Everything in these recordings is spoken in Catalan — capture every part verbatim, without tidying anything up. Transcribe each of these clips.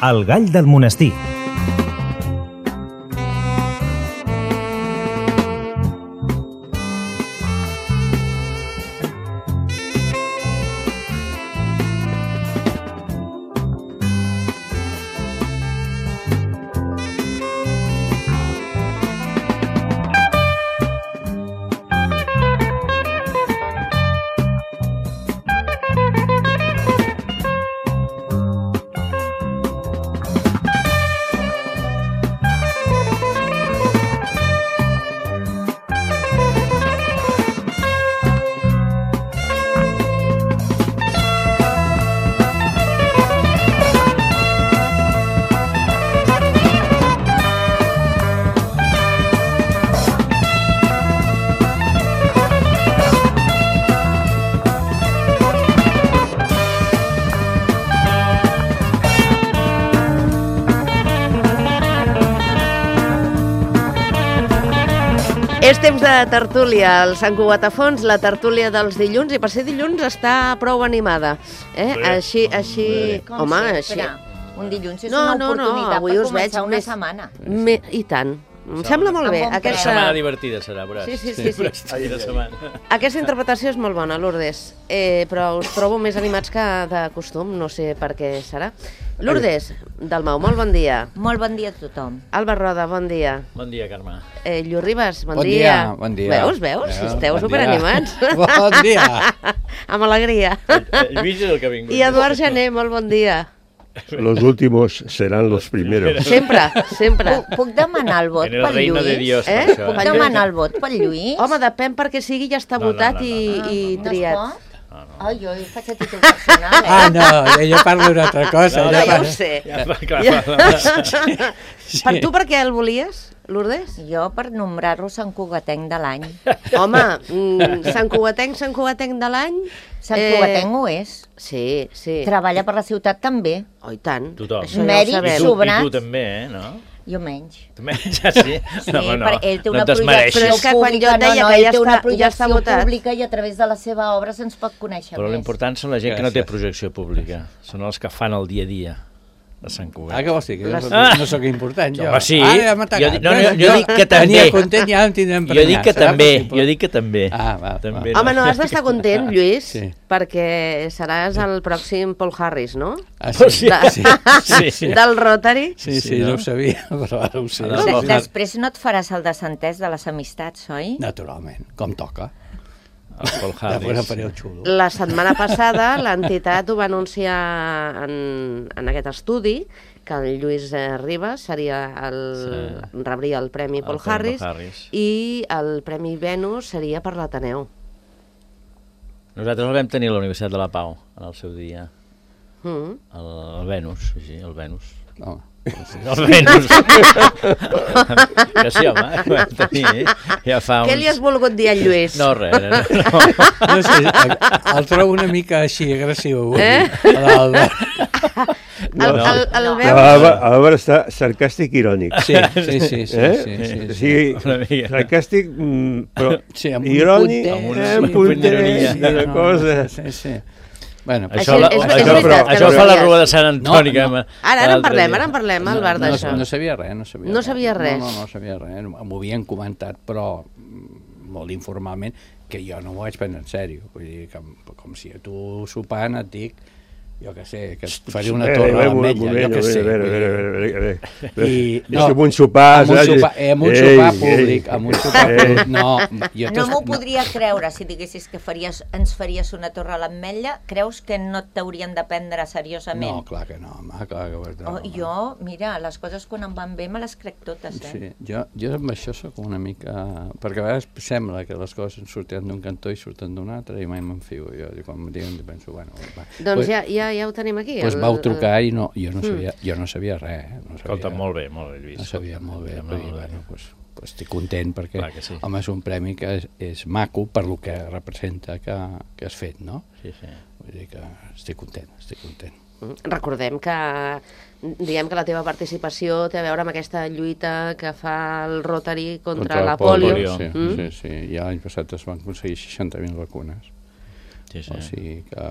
El gall del monestir. És temps de tertúlia, el Sant Cugat a fons, la tertúlia dels dilluns, i per ser dilluns està prou animada. Eh? Sí. Així, així... Com Home, sempre, així... un dilluns és No, una no, no, oportunitat avui per us veig començar una més- setmana. Me... I tant. Em sembla molt bé. Amb bon Aquesta... Setmana divertida serà, veuràs. Sí, sí, sí, sí. Ai, de setmana. Aquesta interpretació és molt bona, Lourdes, eh, però us trobo més animats que de costum, no sé per què serà. Lourdes, Dalmau, molt bon dia. Molt bon dia a tothom. Alba Roda, bon dia. Bon dia, Carme. Eh, Lluís Ribas, bon, Bon dia. dia, bon dia. Veus, veus? Veus, Esteu bon superanimats. dia. Bon dia. Amb alegria. Eh, Lluís és el que ha vingut. I Eduard Jané, molt bon dia. Los últimos serán los primeros. Sempre, sempre. Puc, puc demanar el vot En el pel reino de Lluís? Dios, Eh? per això. Puc Pel demanar el vot pel Lluís? Home, depèn perquè sigui, ja està No, no, votat no, no, i, no. i no triat. es pot? Ai, jo faig a títol personal, eh? Ah, no, jo parlo d'una altra cosa. No, No, jo ja ho parlo- sé. Ja, va, clar, Ja. va. Sí. Per tu per què el volies, Lourdes? Jo per nombrar-lo Sant Cugatenc de l'any. Home, mm, Sant Cugatenc, Sant Cugatenc de l'any... Sant eh, Cugatenc ho és. Sí, sí. Treballa per la ciutat també. Oh, i tant. Tothom. Això ja Mèrit ho sabem. I tu, sobrat. I tu també, eh, no? Jo menys. També, ja sí. Sí, no, home, no, perquè ell té no una et desmereixis. Però projecció és que quan jo pública, et deia no, no, que ell ja té una està- ja està projecció votat. pública i a través de la seva obra se'ns pot conèixer Però més. l'important són la gent que no té Gràcies. projecció pública. Són els que fan el dia a dia de Sant Cugat. Ah, què vols dir? Que Les- no, no sóc important, jo. Home, sí. Ah, ja m'ha atacat. Jo dic- no, no, jo dic que també. Tenia content, ja em tindrem Jo dic que serà també, possible? jo dic que també. Ah, va, també va. Home, no has d'estar content, Lluís, Sí. perquè seràs el pròxim Paul Harris, no? Ah, Pues sí, sí. De- sí, Sí. sí. Del Rotary. Sí, Sí, sí, no? no ho sabia, però ara ho sé. Ara De, no. després no et faràs el desentès de les amistats, oi? Naturalment, com toca. El Paul Després Harris. faré el xulo. La setmana passada l'entitat ho va anunciar en, en aquest estudi, que el Lluís eh, Ribas seria el, Sí. rebria el Premi El Paul Premi Harris, Paul Harris. i el Premi Venus seria per l'Ateneu. Nosaltres el vam tenir a la Universitat de la Pau, en el seu dia. Mm. El, el Venus, sí, el Venus. Home. El Venus. Que sí, home, el vam tenir ja fa uns... Què li has volgut dir al Lluís? No, res, no, no. No sé, el, el trobo una mica així agressiu. Eh? L'Alba. El, el, el No. veus? Álvaro, Álvaro està sarcàstic i irònic. Sí, sí, sí, sí, Eh? sí, sí, O sí. sigui, Una mica. sarcàstic, mm, però Sí, amb un irònic, puntet, amb un- eh, amb un un punt puntet d'ironia. i una No, cosa... Sí, sí. Bueno, Això, Això la, és- és això, veritat però, que això no fa la sabies. Rua de Sant Antoni. No, que no. vam- Ara, ara en l'altre parlem, dia. ara en parlem, no, Albert, no, d'això. no sabia res, no sabia No res. sabia res. No, no, no sabia res. M'ho havien comentat, però mm, molt informalment, que jo no m'ho vaig prendre en sèrio. Vull dir, que, com si a tu sopant et dic, jo què sé, que et faré una Eh, torre a eh, un l'ametlla, moment, jo què sé. a veure, a vull veure, a dir. veure, a veure, a veure. I, És com un sopar, amb un saps? sopar, eh, amb un Ei, sopar ei. públic, amb un sopar Ei. públic, no. Jo No t'es- m'ho podria creure si diguessis que faries, ens faries una torre a l'ametlla. Creus que no t'haurien de prendre seriosament? No, clar que no, home, clar que no. Oh, jo, mira, les coses quan em van bé me les crec totes, eh? Sí, jo, jo amb això sóc una mica... Perquè a vegades sembla que les coses surten d'un cantó i surten d'un altre i mai me'n fio. Jo, i quan em diuen, penso, bueno... Va. Doncs Pues- ja, ja, ja ho tenim aquí. Doncs el- vau trucar el- i no, jo, no sabia, jo no sabia res. Eh? No sabia, Escolta, molt bé, molt bé, Lluís. No sabia molt bé, Escolta, però molt bé. bueno, pues, pues estic content perquè, Clar que sí. home, és un premi que és, és maco per lo que representa que, que has fet, no? Sí, sí. Vull dir que estic content, estic content. Recordem que diguem que la teva participació té a veure amb aquesta lluita que fa el Rotary contra, la el pòlio. Sí, Mm? sí, sí. Ja l'any passat es van aconseguir seixanta mil vacunes. sí, sí. O sigui que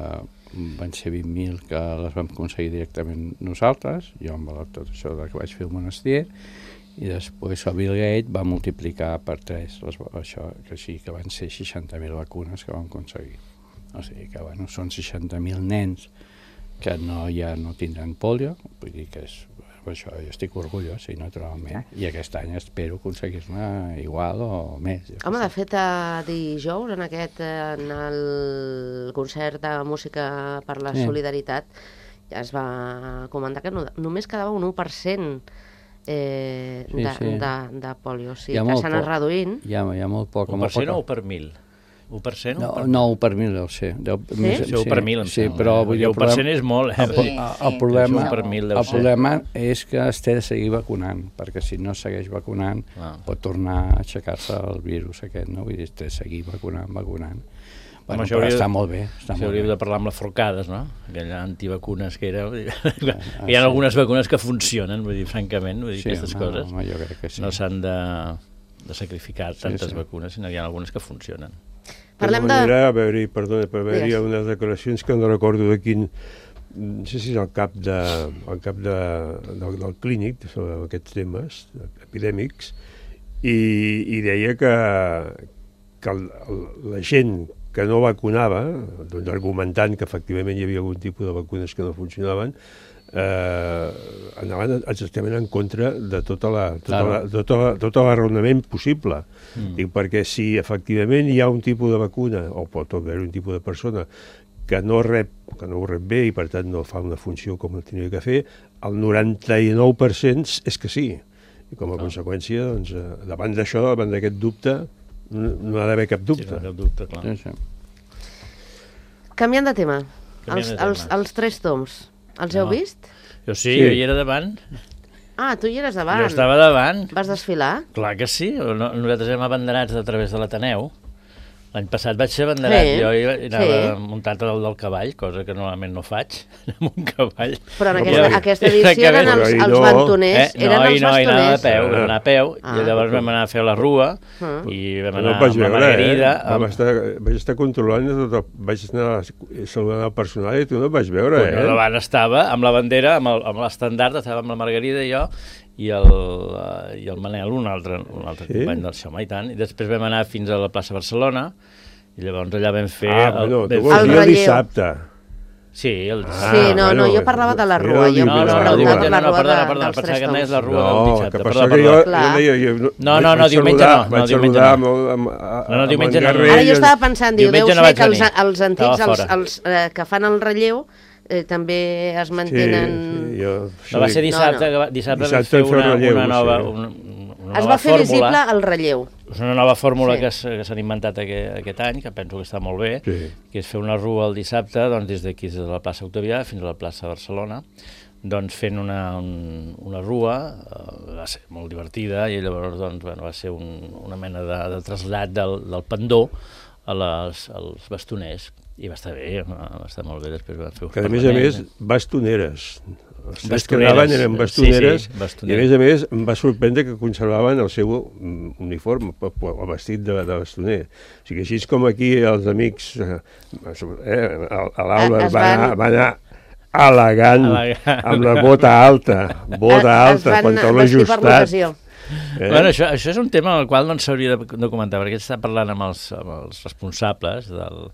van ser vint mil que les vam aconseguir directament nosaltres, jo amb tot això que vaig fer el monestir, i després el Bill Gates va multiplicar per tres les, això, que així que van ser seixanta mil vacunes que vam aconseguir. O sigui que bueno, són seixanta mil nens que no, ja no tindran polio, vull dir que és, això, jo estic orgullós, sí, naturalment, i aquest any espero aconseguir-ne igual o més. Home, de fet, eh, dijous, en aquest, eh, en el concert de música per la Sí. solidaritat, ja es va comentar que no, només quedava un u per cent eh, Sí, de, sí. de, de polio, o Hi sigui ha que molt s'ha anat poc. reduint. Hi ha, hi ha molt poc. Un molt per cent poc- o un per mil? Un per cent o No, un per no, un per mil deu ser. Deu, més, Sí, un per mil, em sí, sembla. però vull dir, un el per cent problema, és molt, eh? el, Sí, el, sí. el, problema, Un per mil deu el ser. problema és que es té de seguir vacunant, perquè si no segueix vacunant Ah. pot tornar a aixecar-se el virus aquest, no? Vull dir, té de seguir vacunant, vacunant. Bueno, això però hauria- està molt bé. Està Això molt hauríem bé. de parlar amb les forcades, no? Aquella antivacunes que era... Vull dir, Ah, hi ha sí. algunes vacunes que funcionen, vull dir, francament, vull dir, Sí, aquestes home, coses home, jo crec que sí. no s'han de, de sacrificar tantes sí. vacunes, sinó que hi ha algunes que funcionen. Parlem de... de... manera, va haver-hi, perdona, va haver-hi Digues. unes declaracions que no recordo de quin... No sé si és el cap, de, el cap de, del, del clínic sobre aquests temes epidèmics i, i deia que, que el, el, la gent que no vacunava, doncs argumentant que efectivament hi havia algun tipus de vacunes que no funcionaven, eh, anaven exactament en contra de tota la, tota Claro. la, tota la, tot l'arraonament possible. Mm. Dic, perquè si efectivament hi ha un tipus de vacuna, o pot haver un tipus de persona que no rep, que no ho rep bé i per tant no fa una funció com tenia que fer, el noranta-nou per cent és que sí. I com a Clar. conseqüència, doncs, eh, davant d'això, davant d'aquest dubte, no, no ha d'haver cap Sí, dubte. no cap dubte, clar. Sí, sí. Canviant de tema, Canviant els, de tema. els, els tres toms, els heu No. vist? Jo sí, Sí. jo hi era davant. Ah, tu hi eres davant. Jo estava davant. Vas desfilar? Clar que sí, no, nosaltres hem abanderats a través de l'Ateneu. L'any passat vaig ser abanderat, Sí, jo hi anava sí. muntat al del cavall, cosa que normalment no faig, anar amb un cavall. Però en No, aquesta, però- aquesta edició eren els, Però ahir els no. bantoners. Eh? Eren No, els i no, i anava a bastoners. peu, vam anar a peu, Ah. i llavors vam anar a fer la rua, Ah. i vam No anar el vaig amb la veure, Margarida. eh? Vam Amb... estar, vaig estar controlant, tot el, vaig anar saludant el personal i tu no et vaig veure, Bueno, eh? davant estava, amb la bandera, amb el- amb l'estandard, estava amb la Margarida i jo, i el, eh, i el Manel, un altre, un altre Sí? company del Xoma i tant, i després vam anar fins a la plaça Barcelona, i llavors allà vam fer... Ah, el, bueno, vam tu fer- vols El dir el relleu. dissabte. Sí, el Ah, Sí, no, no, bueno, jo parlava de la era rua, el jo No, no, us no, preguntava diumenge, per la no, no, rua perdona, de, perdona, dels pensava tres que anaves toms. la rua del No, dissabte. que per Perdona, això que jo, perdona. Clar. jo deia... Jo, No, no, vaig no, diumenge saludar, no, no, vaig diumenge saludar no. amb, el- amb, amb, No, no, diumenge amb no, en no. Garrell, Ara jo estava pensant, diu, deu Diumenge no ser vaig que els, venir. els antics, Estava els, fora. els eh, que fan el relleu, eh, també es Sí, mantenen... sí, jo, No, va ser dissabte, No, no. que va- dissabte, Dissabte vam fer vam fer una, relleu, una nova, sí. una, una Es nova va fer fórmula. visible el relleu. És una nova fórmula Sí. que s- que s'han inventat aquest, aquest any, que penso que està molt bé, Sí. que és fer una rua el dissabte, doncs, des d'aquí, des de la plaça Octavià fins a la plaça Barcelona, doncs fent una, un, una rua, eh, va ser molt divertida, i llavors doncs, bueno, va ser un, una mena de, de trasllat del, del pendó a les, als bastoners, i va estar bé, va estar molt bé, després van fer un Que a més a parlament. més, bastoneres. Els tres que Bastoneres, anaven eren sí, bastoneres, sí, i a bastoneres. més a més em va sorprendre que conservaven el seu mm, uniforme, p- p- el vestit de, de bastoner. O sigui, així és com aquí els amics, eh, eh, a l'Alba Es va, van- anar, va anar elegant, Elegant. amb la bota alta, bota Es alta, van pantaló vestir per ajustat. l'ocasió. Eh? Bueno, això, això és un tema al qual no s'hauria de, de comentar, perquè està parlant amb els, amb els responsables del...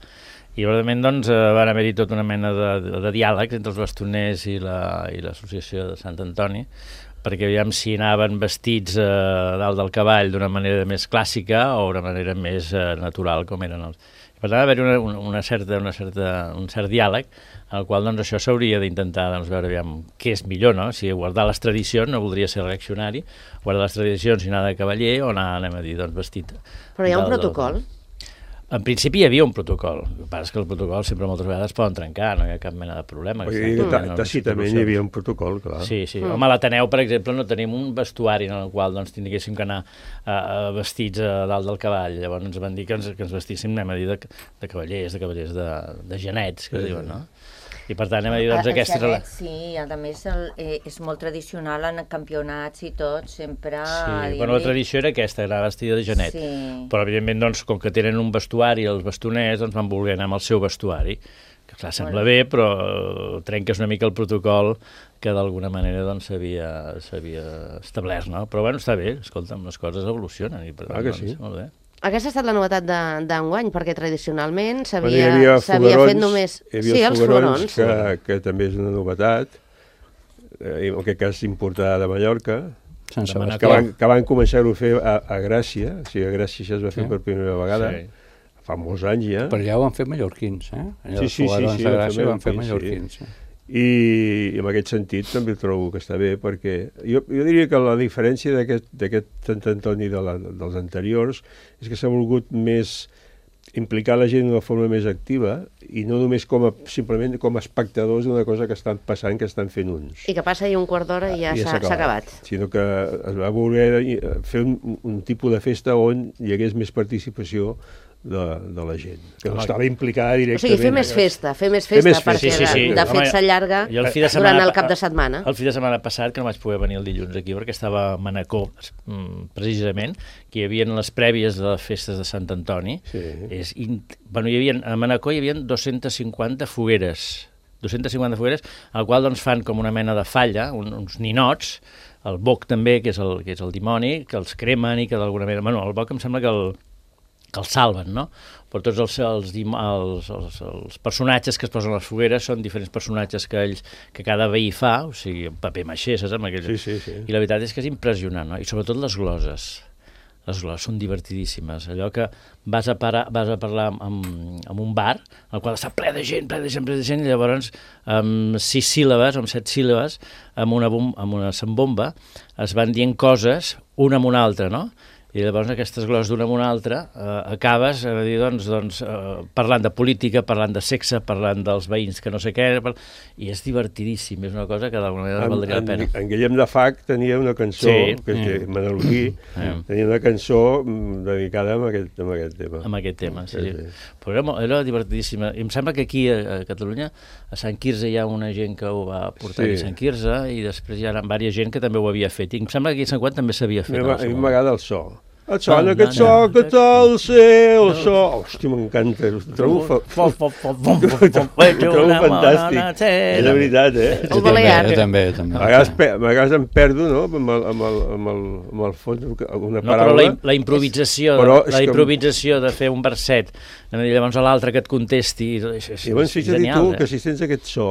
I, realment, doncs, eh, van haver-hi tota una mena de, de, de diàlegs entre els bastoners i la- i l'associació de Sant Antoni, perquè aviam si anaven vestits eh, dalt del cavall d'una manera més clàssica o d'una manera més eh, natural, com eren els... Per tant, va haver-hi una, una, una certa, una certa, un cert diàleg en el qual doncs, això s'hauria d'intentar doncs, veure aviam, què és millor, no? Si guardar les tradicions no voldria ser reaccionari, guardar les tradicions i anar de cavaller o anar, anem a dir, doncs, vestit. Però hi ha un del- del- protocol. En principi hi havia un protocol, el que passa és que el protocol sempre moltes vegades poden trencar, no hi ha cap mena de problema. Vull que dir s'ha que de ta- tenir tàcitament unes hi havia un protocol, clar. Sí, sí. Mm. Home, a l'Ateneu, per exemple, no tenim un vestuari en el qual doncs, tinguéssim que anar uh, vestits a dalt del cavall. Llavors ens van dir que ens, que ens vestíssim, anem a dir, de, de cavallers, de cavallers de, de genets, que Sí, diuen, sí. no? I per tant, anem a dir, doncs, El aquesta... xaguet, sí, a més el, eh, és molt tradicional en campionats i tot, sempre... Sí, bueno, la tradició era aquesta, era vestida de genet. Sí. Però, evidentment, doncs, com que tenen un vestuari, els bastoners, doncs van voler anar amb el seu vestuari, que clar, sembla bé, però trenques una mica el protocol que d'alguna manera doncs s'havia establert, no? Però, bueno, està bé, escolta'm, les coses evolucionen i per tant, ah, que doncs, sí. molt bé. Aquesta ha estat la novetat d'enguany, perquè tradicionalment Bueno, hi s'havia havia s'havia foguerons, fet només... hi havia Sí, els els foguerons, foguerons. que, que també és una novetat, eh, en aquest cas importada de Mallorca, Sant De Sebastià. que van, que van començar-ho a fer a, a Gràcia, o sigui, a Gràcia això es va fer Sí. per primera vegada, Sí. fa molts anys ja, Per allà ho van fer mallorquins, eh? Allà Sí, els sí, sí, foguerons sí, de ho van Gràcia fer ho van fer mallorquins, mallorquins. Sí. i, i en aquest sentit també trobo que està bé, perquè jo, jo diria que la diferència d'aquest Sant Antoni de la, dels anteriors és que s'ha volgut més implicar la gent d'una forma més activa i no només com a, simplement com a espectadors d'una cosa que estan passant, que estan fent uns. I que passa ahir un quart d'hora i ja I s'ha acabat. Sinó que es va voler fer un, un tipus de festa on hi hagués més participació de, de la gent, que no Home, estava implicada O directament. sigui, fer més festa, fer més Fer festa, més festa. perquè Sí, sí, sí. de, de Home, fet s'allarga jo el fi de durant setmana- el cap de setmana. El fi de setmana passat, que no vaig poder venir el dilluns aquí, perquè estava a Manacor, mm, precisament, que hi havia les prèvies de les festes de Sant Antoni. Sí. És in... bueno, hi havia, a Manacor hi havia dos-centes cinquanta fogueres, dos-centes cinquanta fogueres, al qual doncs, fan com una mena de falla, un, uns ninots, el boc també, que és el, que és el dimoni, que els cremen i que d'alguna manera... Bueno, el boc em sembla que el, que els salven, no? Però tots els, els, els, els, els personatges que es posen a les fogueres són diferents personatges que ells, que cada veí fa, o sigui, un paper maixer, saps? Amb aquell... Sí, sí, sí. I la veritat és que és impressionant, no? I sobretot les gloses. Les gloses són divertidíssimes. Allò que vas a, parar, vas a parlar amb, amb un bar, el qual està ple de gent, ple de gent, ple de gent, i llavors amb sis síl·labes, o amb set síl·labes, amb una, bom, amb una sambomba, es van dient coses una amb una altra, no? I llavors aquestes gloses d'una amb una altra eh, acabes a dir, doncs, doncs, eh, parlant de política, parlant de sexe, parlant dels veïns que no sé què, per... i és divertidíssim, és una cosa que d'alguna manera En, valdria la en, pena. en Guillem de Fac tenia una cançó, Sí. que és Mm. menorquí, Mm. tenia una cançó mm, dedicada a aquest, a aquest tema. Amb aquest tema, sí. Sí, sí. sí. Però era, mo- era divertidíssima. I em sembla que aquí a, a Catalunya, a Sant Quirze hi ha una gent que ho va portar Sí. aquí a Sant Quirze, i després hi ha diversa gent que també ho havia fet. I em sembla que aquí a Sant Quant també s'havia A fet. mi en el m'ha- a seu mi moment. m'agrada el so. Et sona No, aquest no, so, no. que tal ser el so? Hòstia, m'encanta, ho trobo, fa... Fom, fom, fom, fom, ho fom, fom, trobo, ho trobo una fantàstic. bona cera. És de veritat, eh? El Jo també, Balear. jo també, jo també. A vegades, pe- a vegades em perdo, no?, amb el, amb el, amb el, amb el fons, alguna No, però paraula. la, im- la improvisació, Però de, és la que- improvisació de fer un verset, i llavors a l'altre que et contesti, és, és, I llavors és fixa't genial, tu que eh? si sents aquest so,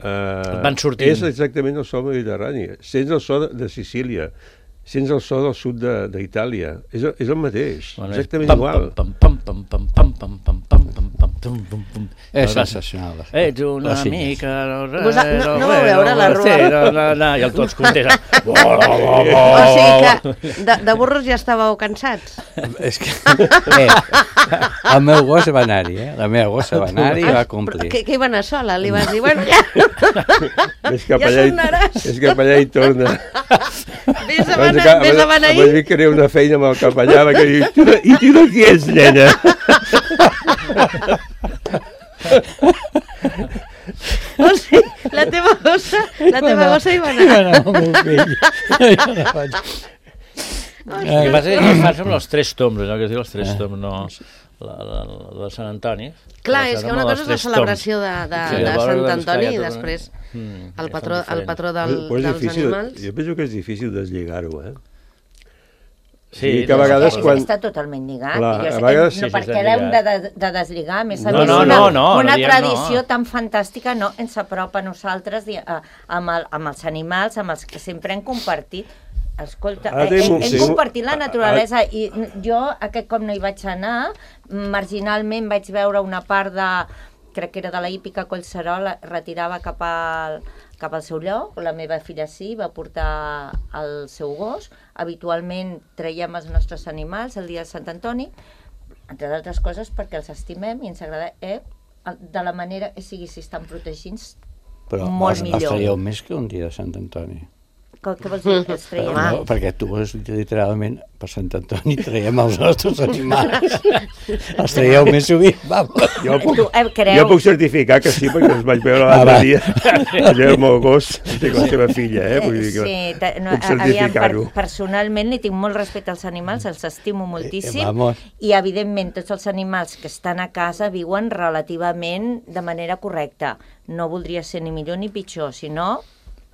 eh, van sortint. és exactament el so mediterrani. Sents el so de, de Sicília, sents el so del sud de- d'Itàlia. És, el- és el mateix, Bueno, és exactament pam, igual. Pam, pam, pam, pam, pam, pam, pam, pam, pam, pam, pum, pum, pum. És Llavors, sensacional. ets una Les illes. mica... Vos- no- no vau veure la rua? Sí, no, no, no, i el tots contesten. O sigui que de, de burros ja estàveu cansats. És que... Eh, el meu gos va anar-hi, eh? La meva gossa va anar-hi i va complir. Que, que hi va anar sola? Li vas dir, bueno, ja, Ves cap Ja allà, i- tornaràs. ves cap allà i torna. vés a Abans beneir, que- vés a abans- beneir. abans que era una feina amb el capellà, que diu, "Tu de- i tu de qui ets, nena?" O sigui, la teva gossa, la teva gossa hi va anar. No, el meu fill. Jo no vaig... El que passa és que fas amb els tres toms, allò que es diu els tres toms, no la, la, la de Sant Antoni. Clar, La és que cerimònia una dels cosa és la tres celebració de, de, Sí, de llavors, Sant doncs, Antoni clar, i ja després Mm, el ja patró, són el patró del, Però és dels difícil, animals. jo penso que és difícil deslligar-ho, eh? Sí, Sí, que a vegades És, quan... Està totalment lligat. Clar, I jo a sé vegades que sí, no, sí, perquè està l'hem de, lligat. de, de deslligar. A més, a No, més no, una, no, no, una no diem tradició no. tan fantàstica no ens apropa a nosaltres di- a, amb, el, amb els animals, amb els que sempre hem compartit. Escolta, Ara eh, tenim hem, un- hem tenim un- compartit la a- a- naturalesa i jo aquest cop no hi vaig anar, marginalment vaig veure una part de, crec que era de la hípica Collserola, retirava cap al, cap al seu lloc, la meva filla sí, va portar el seu gos, habitualment traiem els nostres animals el dia de Sant Antoni, entre d'altres coses perquè els estimem i ens agrada, eh, de la manera que sigui, si estan protegits, Però molt els, els millor. traieu més que un dia de Sant Antoni. Què, què vols dir? Els traiem? No, perquè tu és literalment per Sant Antoni traiem els nostres animals. Els traieu més sovint, vamos. Jo puc, Tu, eh, creu? jo puc certificar que sí, perquè els vaig veure Ah, l'altre va. dia. Allò el meu gos, té la seva filla, eh? Vull dir que Sí, ta- no, puc aviam, per, certificar-ho. personalment li tinc molt respecte als animals, els estimo moltíssim, Eh, vamos. i evidentment tots els animals que estan a casa viuen relativament de manera correcta. No voldria ser ni millor ni pitjor, sinó,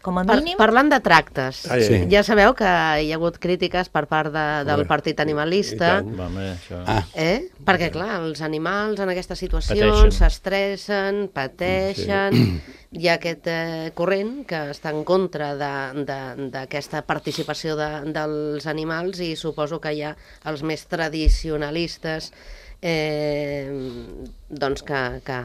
com a Par mínim... parlant de tractes, Ai, Sí. ja sabeu que hi ha hagut crítiques per part de, del Home, partit i animalista, tant. Home, això... Ah, eh? perquè clar, els animals en aquestes situacions Pateixen. s'estressen, pateixen, hi ha aquest eh, corrent que està en contra d'aquesta participació de, dels animals i suposo que hi ha els més tradicionalistes eh, doncs que, que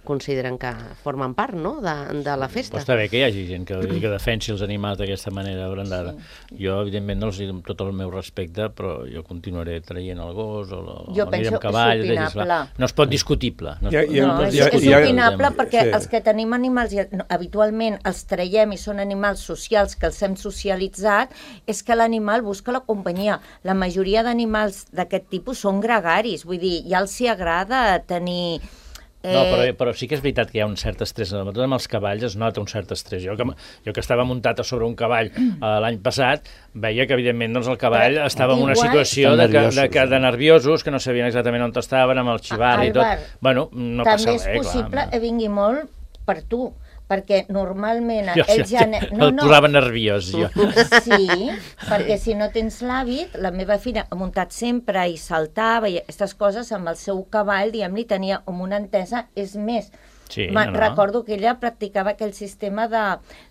consideren que formen part, no?, de, de la Però festa. està bé que hi hagi gent que, que defensi els animals d'aquesta manera brandada. Sí. Jo, evidentment, no els dono tot el meu respecte, però jo continuaré traient el gos o, o Jo el penso amb que és cavall. opinable. Clar, no es pot discutible. No, es Ja- pot, ja- No, pot és, ja- és discutir. ja- opinable perquè sí. els que tenim animals i no, habitualment els traiem i són animals socials que els hem socialitzat, és que l'animal busca la companyia. La majoria d'animals d'aquest tipus són gregaris, vull dir, ja els hi agrada tenir... Eh... No, però, però sí que és veritat que hi ha un cert estrès. Sobretot amb els cavalls es nota un cert estrès. Jo que, jo que estava muntat a sobre un cavall eh, l'any passat, veia que, evidentment, doncs, el cavall Però estava en una igual- situació Estan de, que, de, nerviosos, que, de eh? nerviosos, que no sabien exactament on estaven, amb el xivar i tot. Albert, Bueno, no també passa és res, possible clar. que vingui molt per tu, perquè normalment Jo, jo, ells ja... jo, No, el no, posava nerviós, jo. sí, perquè si no tens l'hàbit, la meva filla ha muntat sempre i saltava i aquestes coses amb el seu cavall, diguem-li, tenia com una entesa, és més, Sí, Ma- no, no. recordo que ella practicava aquell sistema de,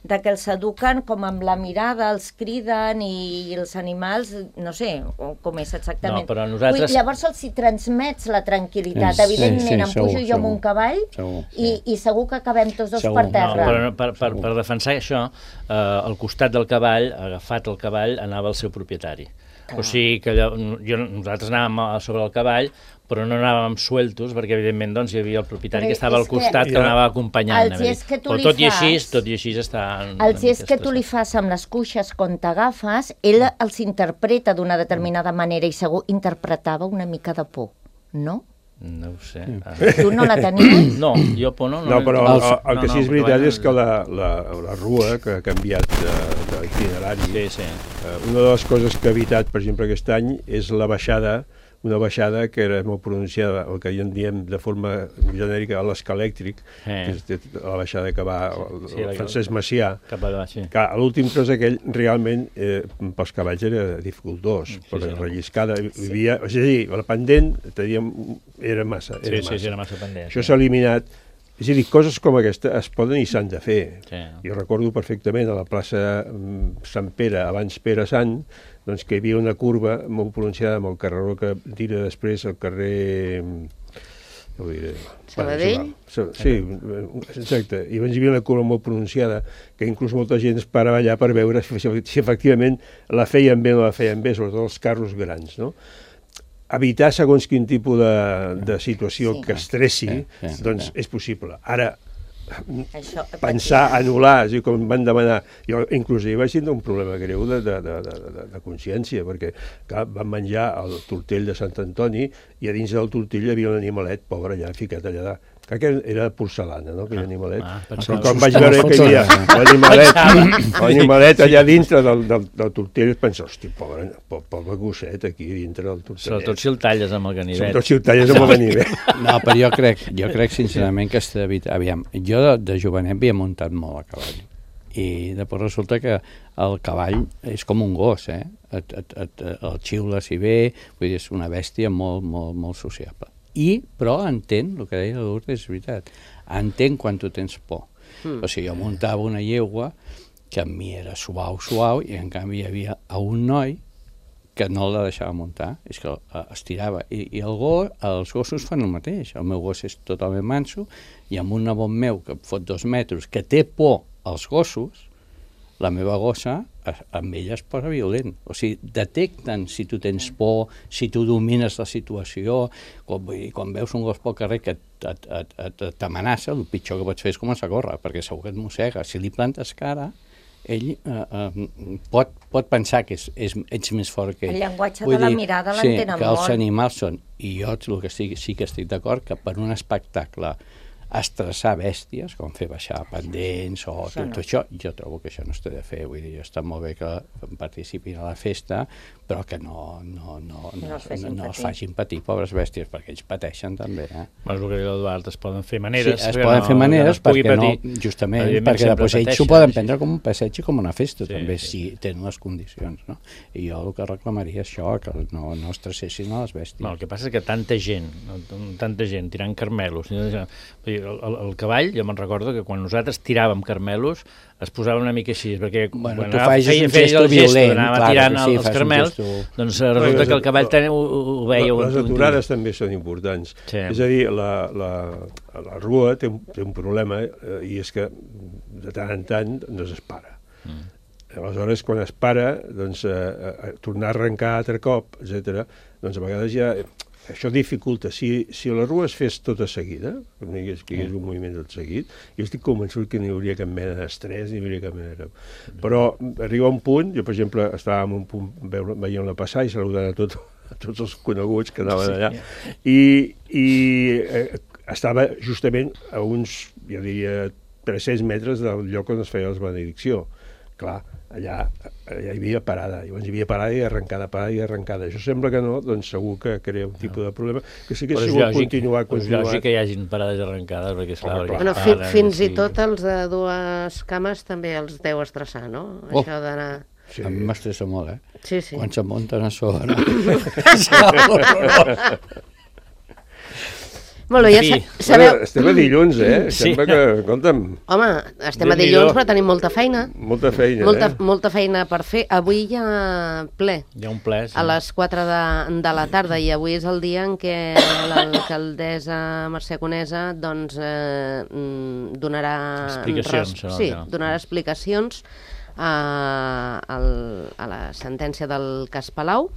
de que els eduquen com amb la mirada, els criden i, i els animals, no sé o com és exactament. No, però nosaltres- Vull, llavors els hi transmets la tranquil·litat. Sí, Evidentment, sí, em segur, pujo jo amb segur. un cavall Segur, i, i segur que acabem tots dos Segur. per No, terra. però no, per, per, per defensar això, eh, al costat del cavall, agafat el cavall, anava el seu propietari. O sigui que allò, jo, nosaltres anàvem a sobre el cavall, però no anàvem sueltos, perquè evidentment doncs, hi havia el propietari Però que estava és al costat, que- que, que anava acompanyant. Els és que tu però li tot i així, fas- tot i així està... Els és que tu li fas amb les cuixes quan t'agafes, ell els interpreta d'una determinada manera i segur interpretava una mica de por, no? No ho sé. Ah. Tu no la tenies? No, jo por no... No, però el, el, el que sí és veritat bueno, és que la, la, la rua que ha canviat de- d'itinerari, Sí, sí. eh, una de les coses que ha evitat, per exemple, aquest any és la baixada, una baixada que era molt pronunciada, el que en diem de forma genèrica l'escalèctric, Eh. que és de- la baixada que va el, Sí, la- el Francesc Macià, Cap a baix, sí. que a l'últim tros aquell realment eh, pels cavalls era dificultós, Sí, perquè sí. relliscada, hi havia, és a dir, la pendent teníem, era massa, era Sí, sí, massa. sí, era massa pendent. Això s'ha eliminat. És a dir, coses com aquesta es poden i s'han de fer. Sí. Jo recordo perfectament a la plaça mm, Sant Pere, abans Pere Sant, doncs que hi havia una curva molt pronunciada amb el carreró que tira després el carrer... mm, ja ho diré. Sabadell? Bueno, sí, exacte. I llavors hi havia una curva molt pronunciada que inclús molta gent es parava allà per veure si, si efectivament la feien bé o no la feien bé, sobretot els carros grans, no? Evitar segons quin tipus de, de situació Sí. que estressi, Sí, sí, doncs sí. és possible. Ara, Això, pensar, anul·lar, és a dir, com em van demanar, jo inclús hi vaig tindre un problema greu de, de, de, de, de, de consciència, perquè clar, vam menjar el tortell de Sant Antoni i a dins del tortell hi havia un animalet pobre allà, ficat allà, crec que era porcelana, no?, aquell animalet. ah, Però pensava- quan vaig veure que hi havia l'animalet, l'animalet allà dintre del, del, del tortell, penso, hosti, pobre, po- pobre gosset aquí dintre del tortell. Sobretot si el talles amb el ganivet. Sobretot si el talles amb el ganivet. No, però jo crec, jo crec sincerament que està evitat. Aviam, jo de, de jovenet havia muntat molt a cavall i després resulta que el cavall és com un gos, eh? Et, et, et, el xiules i bé, vull dir, és una bèstia molt, molt, molt sociable. I, però entén, el que deia la Lourdes és veritat, entén quan tu tens por. Mm. O sigui, jo muntava una llegua que a mi era suau, suau, i en canvi hi havia a un noi que no la deixava muntar, és que eh, estirava. I, i el gos, els gossos fan el mateix. El meu gos és totalment manso, i amb un nebot meu que fot dos metres, que té por als gossos, la meva gossa, a- amb ella es posa violent. O sigui, detecten si tu tens por, si tu domines la situació. Quan, vull dir, quan veus un gos pel carrer que et- et- et- et- t'amenaça, el pitjor que pots fer és començar a córrer, perquè segur que et mossega. Si li plantes cara, ell eh, eh, pot, pot pensar que és, és, ets més fort que ell. El llenguatge Vull de la dir, mirada sí, l'entenen que els molt. animals són, i jo el que sí, sí que estic d'acord, que per un espectacle estressar bèsties, com fer baixar pendents o Això tot no. això, jo trobo que això no s'ha de fer. Vull dir, està molt bé que participin a la festa, però que no, no, no, no, No els facin no, no els patir. facin patir, pobres bèsties, perquè ells pateixen també. Eh? Bueno, el que diu l'Eduard, es poden fer maneres. Sí, es que poden no, fer maneres que no es pugui perquè no, patir. justament, Evidentment, perquè sempre després ells s'ho pateixen, poden sí. prendre com un passeig i com una festa, Sí, també, sí. si tenen les condicions. No? I jo el que reclamaria és això, que no, no estressessin a les bèsties. No, el que passa és que tanta gent, tanta gent tirant carmelos, vull dir, el, el, el cavall, jo me'n recordo que quan nosaltres tiràvem carmelos es posava una mica així, perquè Bueno, quan tu anava, facis feia, un feia gesto el gesto violent, d'anava clar tirant que sí, els fas un carmels, gesto- doncs resulta que el cavall ten, ho, ho veia... Les un- un- aturades també són importants. Sí. És a dir, la, la, la rua té un, té un problema eh, i és que de tant en tant no es para. Mm. Aleshores, quan es para, doncs, eh, eh, tornar a arrencar altre cop, etcètera, doncs a vegades ja... Això dificulta. Si, si la rua es fes tota seguida, que hi hagués, que hi hagués un moviment tot seguit, jo estic convençut que no hi hauria cap mena d'estrès, ni hi hauria cap mena de... Però arriba un punt, jo per exemple estava en un punt veient-la passar i saludant a, tot, a tots els coneguts que anaven allà, i, i eh, estava justament a uns, jo diria, tres-cents metres del lloc on es feia la benedicció. Clar, allà, allà hi havia parada, llavors hi havia parada i arrencada, parada i arrencada. Això sembla que no, doncs segur que crea un tipus de problema, que sí que si vol continuar, però és continuar... lògic que hi hagin parades arrencades, perquè esclar... Home, perquè Bueno, fi, paren, fins sí. i tot els de dues cames també els deu estressar, no? Oh. Això d'anar... Sí. A mi m'estressa molt, eh? Sí, sí. Quan se munten a sobre. Molt bé, ja En fi. sa sabeu... Bueno, estem a dilluns, eh? Sí. Sembla que, escolta'm, Home, estem a Déu-n'hi-do. dilluns, però tenim molta feina. molta feina, Molta, eh? molta feina per fer. Avui hi ha ple. Hi ha un ple, sí. A les quatre de, de la tarda, i avui és el dia en què l'alcaldessa Mercè Conesa doncs, eh, mm, donarà... Explicacions, res- serà el Sí, que- donarà explicacions a, al, a la sentència del cas Palau.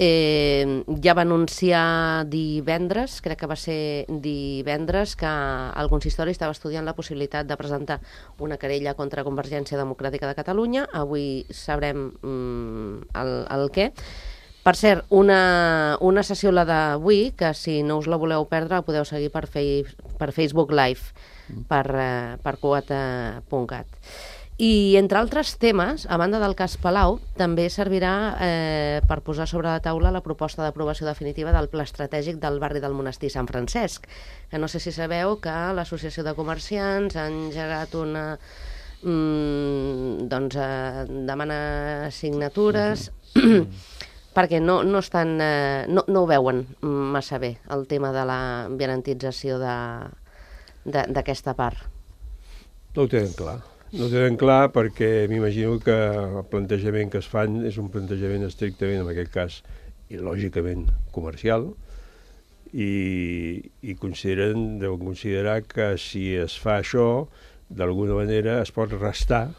Eh, ja va anunciar divendres, crec que va ser divendres, que el consistori estava estudiant la possibilitat de presentar una querella contra Convergència Democràtica de Catalunya. Avui sabrem mm, el, el què. Per cert, una, una sessió, la d'avui, que si no us la voleu perdre, la podeu seguir per, fei, per Facebook Live, per, eh, per quota punt cat. I, entre altres temes, a banda del cas Palau, també servirà eh, per posar sobre la taula la proposta d'aprovació definitiva del pla estratègic del barri del Monestir Sant Francesc, que no sé si sabeu que l'Associació de Comerciants ha engegat una... Mm, doncs eh, demana signatures... perquè no, no, estan, eh, no, no ho veuen massa bé, el tema de la garantització d'aquesta part. No ho tenen clar. No ho tenen clar perquè m'imagino que el plantejament que es fan és un plantejament estrictament, en aquest cas, i lògicament comercial, i, i consideren, deuen considerar que si es fa això, d'alguna manera es pot restar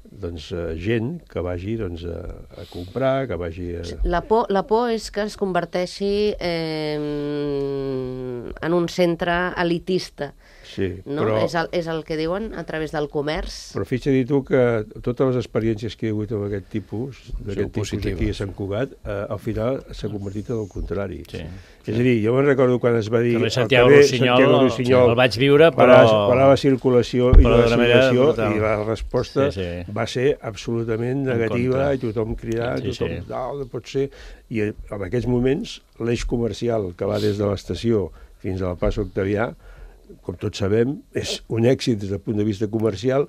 doncs, gent que vagi doncs, a, a comprar, que vagi a... La por, la por és que es converteixi eh, en un centre elitista. Sí, No? però... És, el, és el que diuen a través del comerç. Però fixa-t'hi tu que totes les experiències que hi ha hagut amb aquest tipus, d'aquest tipus positives. aquí a Sant Cugat, eh, al final s'ha convertit en el contrari. Sí. És a dir, jo me'n recordo quan es va dir... Carrer al Santiago carrer Rossinyol, Santiago Rossinyol, el vaig viure, però... Parava, parava circulació i però la d'una manera circulació brutal. i la resposta Sí, sí. va ser absolutament negativa, contra. i tothom cridant, Sí, tothom, sí. no, no pot ser... I en aquests moments l'eix comercial que va des de l'estació fins a la plaça Octavià, com tots sabem, és un èxit des del punt de vista comercial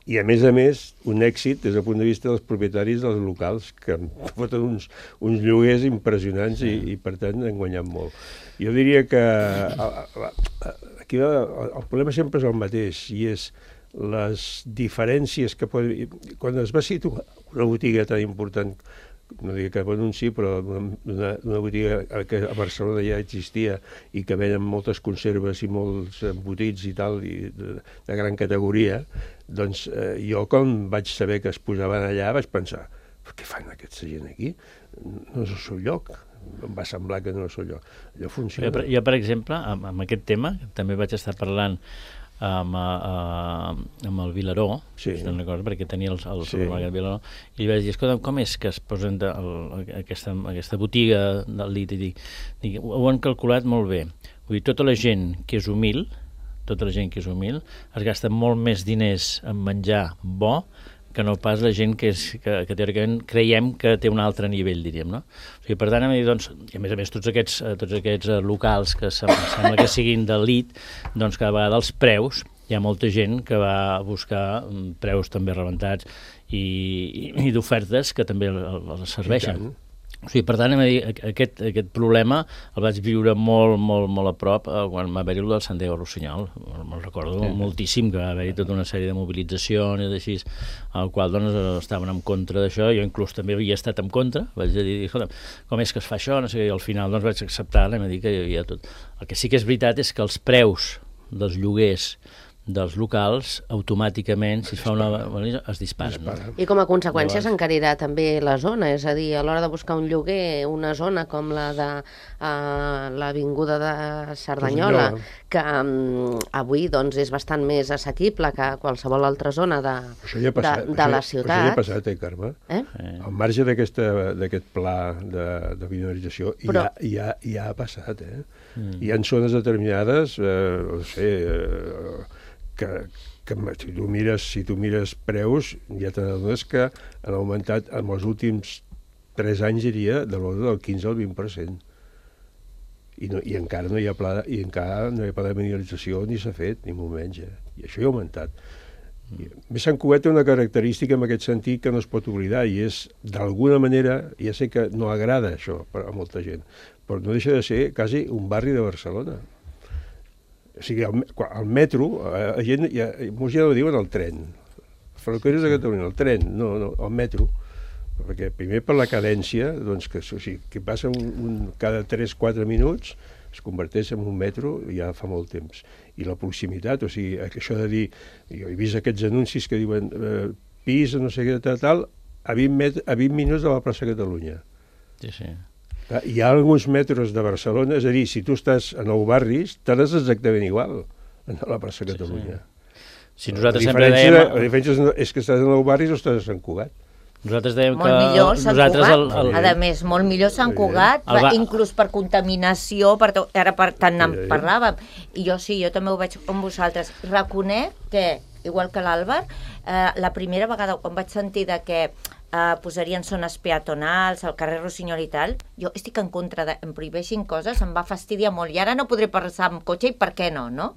i, a més a més, un èxit des del punt de vista dels propietaris dels locals, que foten uns, uns lloguers impressionants i, i, per tant, han guanyat molt. Jo diria que aquí el, el problema sempre és el mateix, i és les diferències que poden... Quan es va situar una botiga tan important, no diria cap anunci, però una, una botiga que a Barcelona ja existia i que venen moltes conserves i molts embotits i tal, i de, de gran categoria, doncs eh, jo quan vaig saber que es posaven allà vaig pensar, què fan aquesta gent aquí? No és el seu lloc. Em va semblar que no és el seu lloc. Allò funciona. Jo, per, jo, per exemple, amb, amb aquest tema, també vaig estar parlant amb, uh, amb el Vilaró, sí. una cosa, perquè tenia el, el sí. supermercat Vilaró, i li vaig dir, escolta, com és que es posen de, el, aquesta, aquesta botiga del dit? I dic, dic, ho han calculat molt bé. Vull dir, tota la gent que és humil, tota la gent que és humil, es gasta molt més diners en menjar bo que no pas la gent que, és, que, que teòricament creiem que té un altre nivell, diríem, no? O sigui, per tant, a, mi, doncs, i a més a més, tots aquests, tots aquests locals que sembla que siguin d'elit, doncs cada vegada els preus, hi ha molta gent que va buscar preus també rebentats i, i, i d'ofertes que també els serveixen. O sigui, per tant, aquest, aquest problema el vaig viure molt, molt, molt a prop eh, quan va haver-hi el del Santiago Rossinyol. Me'l recordo sí. moltíssim, que va haver-hi tota una sèrie de mobilitzacions i així, al qual doncs, estaven en contra d'això. Jo inclús també havia estat en contra. Vaig dir, escolta, com és que es fa això? No sé, i al final doncs, vaig acceptar, i em dir que hi havia tot. El que sí que és veritat és que els preus dels lloguers dels locals, automàticament, si es fa una... es disparen. No? I com a conseqüència s'encarirà també la zona, és a dir, a l'hora de buscar un lloguer, una zona com la de uh, l'Avinguda de Cerdanyola, que um, avui doncs, és bastant més assequible que qualsevol altra zona de, ja passat, de, de la ciutat. Això ja ha passat, eh, Carme? Eh? Al marge d'aquest pla de, de minorització, Però... ja, ja, ja ha passat, eh? Mm. Hi ha zones determinades, eh, no sé... Eh, que, que si, tu mires, si tu mires preus, ja t'adones que han augmentat en els últims tres anys, diria, de l'ordre del quinze al vint per cent. I, no, i encara no hi ha pla, i encara no hi ha pla de minorització ni s'ha fet, ni molt menys. Eh? I això hi ha augmentat. I, més Sant Cugat té una característica en aquest sentit que no es pot oblidar, i és, d'alguna manera, ja sé que no agrada això a molta gent, però no deixa de ser quasi un barri de Barcelona. O sigui, el, el metro, la gent, ja, molts ja no diuen el tren, ferrocarrils de Catalunya, el tren, no, no, el metro, perquè primer per la cadència, doncs que, o sigui, que passa un, un, cada tres o quatre minuts, es converteix en un metro ja fa molt temps. I la proximitat, o sigui, això de dir, jo he vist aquests anuncis que diuen eh, pis, no sé què, tal, tal, a vint, met, a vint minuts de la plaça Catalunya. Sí, sí. Hi ha alguns metros de Barcelona, és a dir, si tu estàs a Nou Barris, t'has exactament igual a la plaça Catalunya. Sí, sí. Si nosaltres sempre dèiem... La diferència és que estàs a Nou Barris o estàs a Sant Cugat. Nosaltres dèiem molt que... Molt millor Sant Cugat, el, el... a més, molt millor Sant Cugat, el va... inclús per contaminació, per to... ara per tant en sí, parlàvem, i jo sí, jo també ho veig amb vosaltres. Reconec que, igual que l'Àlvar, eh, la primera vegada quan vaig sentir de que eh, posarien zones peatonals al carrer Rossinyol i tal, jo estic en contra de em prohibeixin coses, em va fastidiar molt, i ara no podré passar amb cotxe, i per què no, no?